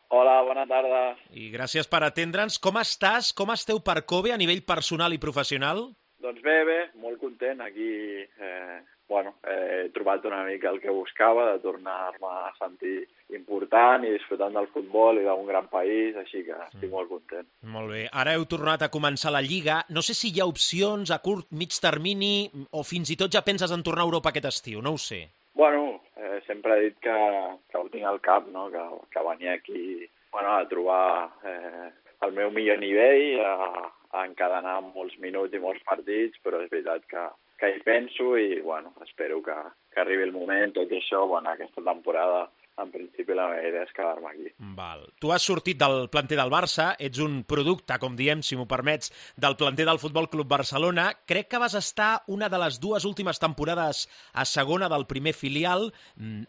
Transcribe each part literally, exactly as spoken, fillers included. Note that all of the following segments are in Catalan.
Hola, bona tarda. I gràcies per atendre'ns. Com estàs? Com esteu per Kobe a nivell personal i professional? Doncs bé, bé, molt content. Aquí, eh, bueno, eh, he trobat una mica el que buscava, de tornar-me a sentir important i disfrutant del futbol i d'un gran país, així que estic molt content. Molt bé. Ara heu tornat a començar la Lliga. No sé si hi ha opcions a curt, mig termini, o fins i tot ja penses en tornar a Europa aquest estiu, no ho sé. Bueno, eh, sempre he dit que, que ho tinc al cap, no? que, que venia aquí bueno, a trobar eh, el meu millor nivell, a, a encadenar molts minuts i molts partits, però és veritat que, que hi penso i bueno, espero que, que arribi el moment, tot i això, bueno, aquesta temporada en principi la meva idea és quedar-me aquí. Val. Tu has sortit del planter del Barça, ets un producte, com diem, si m'ho permets, del planter del Futbol Club Barcelona. Crec que vas estar una de les dues últimes temporades a segona del primer filial.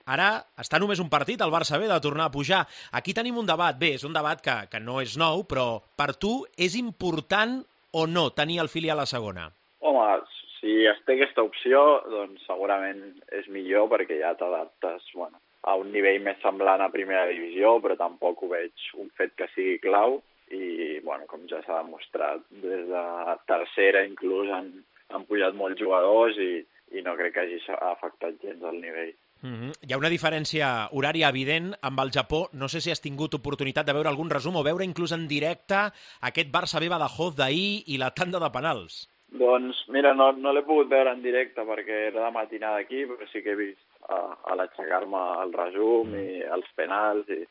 Ara està només un partit, el Barça B, de tornar a pujar. Aquí tenim un debat. Bé, és un debat que, que no és nou, però per tu és important o no tenir el filial a segona? Home, si es té aquesta opció, doncs segurament és millor perquè ja t'adaptes, bueno, a un nivell més semblant a primera divisió, però tampoc ho veig un fet que sigui clau i, bueno, com ja s'ha demostrat, des de tercera inclús han, han pujat molts jugadors i, i no crec que hagi afectat gens el nivell. Mm-hmm. Hi ha una diferència horària evident amb el Japó. No sé si has tingut oportunitat de veure algun resum o veure inclús en directe aquest Barça B Badajoz d'ahir i la tanda de penals. Doncs mira, no, no l'he pogut veure en directe perquè era de matinada aquí, però sí que he vist a, a l'aixecar-me el resum mm. i els penals i,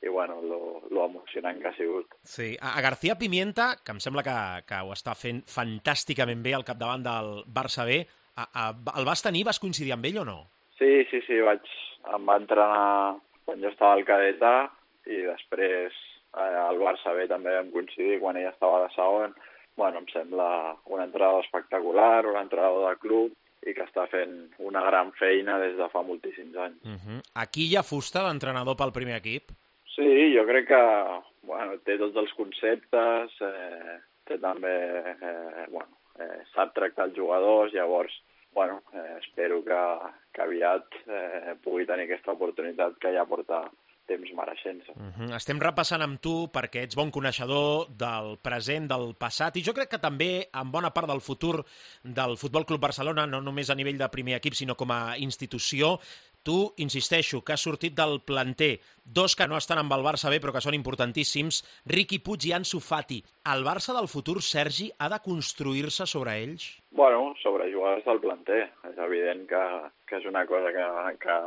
i bueno, lo, lo emocionant que ha sigut. Sí, a García Pimienta, que em sembla que, que ho està fent fantàsticament bé al capdavant del Barça B, a, a, el vas tenir, vas coincidir amb ell o no? Sí, sí, sí, vaig, em va entrenar quan jo estava al cadet A i després eh, al Barça B també vam coincidir quan ell estava de segon. Bueno, em sembla un entrenador espectacular, un entrenador de club i que està fent una gran feina des de fa moltíssims anys. Uh-huh. Aquí hi ha fusta d'entrenador pel primer equip? Sí, jo crec que bueno, té tots els conceptes, eh, té també, eh, bueno, eh, sap tractar els jugadors, llavors bueno, eh, espero que, que aviat eh, pugui tenir aquesta oportunitat que ja porta temps mereixent-se. Uh-huh. Estem repassant amb tu perquè ets bon coneixedor del present, del passat, i jo crec que també en bona part del futur del Futbol Club Barcelona, no només a nivell de primer equip, sinó com a institució. Tu, insisteixo, que has sortit del planter, dos que no estan amb el Barça B, però que són importantíssims, Riqui Puig i Ansu Fati. El Barça del futur, Sergi, ha de construir-se sobre ells? Bueno, sobre jugadors del planter. És evident que, que és una cosa que, que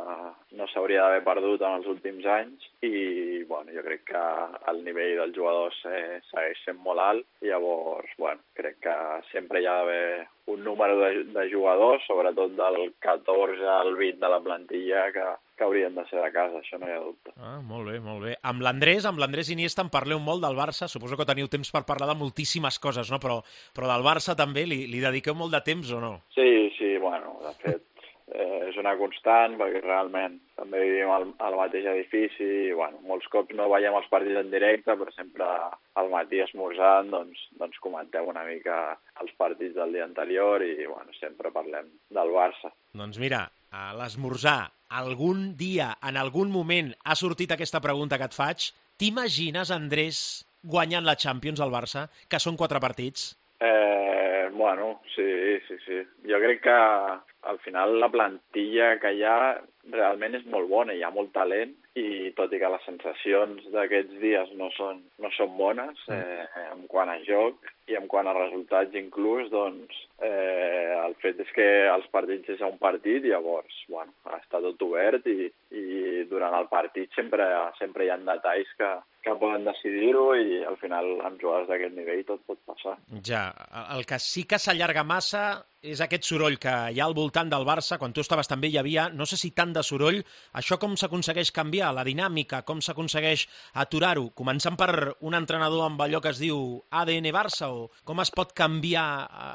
no s'hauria d'haver perdut en els últims anys i bueno, jo crec que el nivell dels jugadors eh, segueix sent molt alt i llavors bueno, crec que sempre hi ha d'haver un número de, de jugadors, sobretot del catorze al vint de la plantilla, que, que haurien de ser de casa, això no hi ha dubte. Ah, molt bé, molt bé. Amb l'Andrés, amb l'Andrés Iniesta en parleu molt del Barça, suposo que teniu temps per parlar de moltíssimes coses, no? Però, però del Barça també li, li dediqueu molt de temps o no? Sí, sí, bueno, de fet, eh, és una constant, perquè realment també vivim al, al mateix edifici i, bueno, molts cops no veiem els partits en directe, però sempre al matí esmorzant, doncs, doncs comentem una mica els partits del dia anterior i, bueno, sempre parlem del Barça. Doncs mira, a l'esmorzar, algun dia, en algun moment, ha sortit aquesta pregunta que et faig. T'imagines, Andrés, guanyant la Champions al Barça, que són quatre partits? Eh, bueno, sí, sí, sí. Jo crec que al final la plantilla que hi ha realment és molt bona, hi ha molt talent i tot i que les sensacions d'aquests dies no són, no són bones eh, en quant a joc i en quant a resultats inclús, doncs eh, el fet és que els partits és un partit i llavors bueno, està tot obert i, i durant el partit sempre, sempre hi ha detalls que, que poden decidir-ho i al final amb jugadors d'aquest nivell tot pot passar. Ja, el que sí que s'allarga massa és aquest soroll que hi ha al voltant del Barça. Quan tu estaves també hi havia, no sé si tant de soroll, això com s'aconsegueix canviar, la dinàmica, com s'aconsegueix aturar-ho, començant per un entrenador amb allò que es diu A D N Barça, o com es pot canviar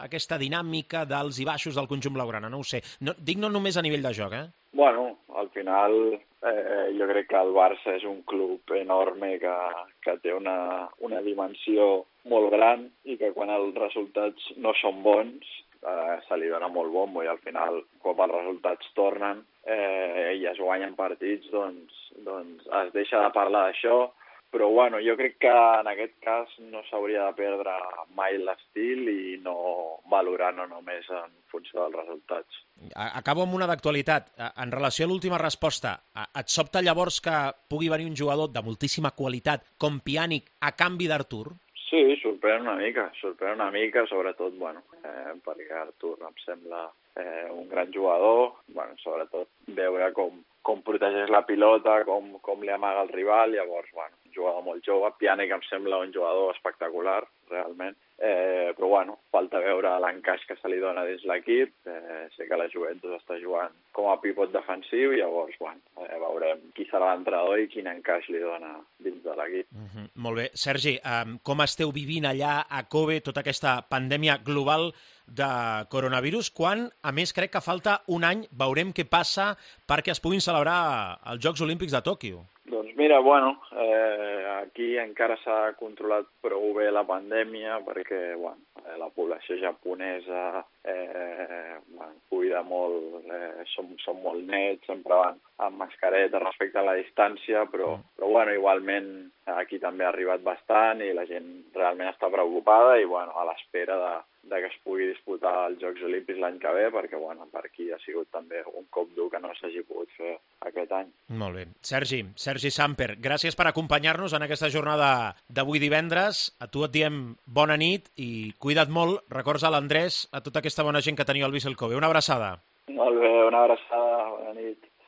aquesta dinàmica dels i baixos del conjunt blaugrana, no ho sé. No, dic no només a nivell de joc, eh? Bueno, al final eh, jo crec que el Barça és un club enorme que, que té una, una dimensió molt gran i que quan els resultats no són bons eh, se li dona molt bombo i al final, quan els resultats tornen eh, i es guanyen partits, doncs, doncs es deixa de parlar d'això, però bueno, jo crec que en aquest cas no s'hauria de perdre mai l'estil i no valorar no només en funció dels resultats. Acabo amb una d'actualitat. En relació a l'última resposta, et sobta llavors que pugui venir un jugador de moltíssima qualitat com Pjanic a canvi d'Artur? Sí, sorprèn una mica, sorprèn una mica, sobretot, bueno, eh, perquè Artur em sembla eh, un gran jugador, bueno, sobretot veure com, com protegeix la pilota, com, com li amaga el rival, llavors, bueno, un jugador molt jove, Pjanic em sembla un jugador espectacular, realment, eh, però bueno, falta veure l'encaix que se li dona dins l'equip, eh, sé que la Juventus està jugant com a pivot defensiu, i llavors, bueno, eh, veurem qui serà l'entrenador i quin encaix li dona dins de l'equip. Mm-hmm. Molt bé. Sergi, um, com esteu vivint allà a Kobe tota aquesta pandèmia global de coronavirus, quan, a més, crec que falta un any, veurem què passa perquè es puguin celebrar els Jocs Olímpics de Tòquio? Doncs mira, bueno, eh, aquí encara s'ha controlat prou bé la pandèmia perquè, bueno, eh, la població japonesa eh, bueno, cuida molt, eh, som, som molt nets, sempre van amb mascareta respecte a la distància, però, però bueno, igualment aquí també ha arribat bastant i la gent realment està preocupada i, bueno, a l'espera de, de que es pugui disputar els Jocs Olímpics l'any que ve, perquè, bueno, per aquí ha sigut també un cop dur que no s'hagi pogut fer aquest any. Molt bé. Sergi, Sergi Samper, gràcies per acompanyar-nos en aquesta jornada d'avui divendres. A tu et diem bona nit i cuida't molt. Records a l'Andrés, a tota aquesta bona gent que teniu al Vissel Kobe. Una abraçada. Molt bé, una abraçada, bona nit.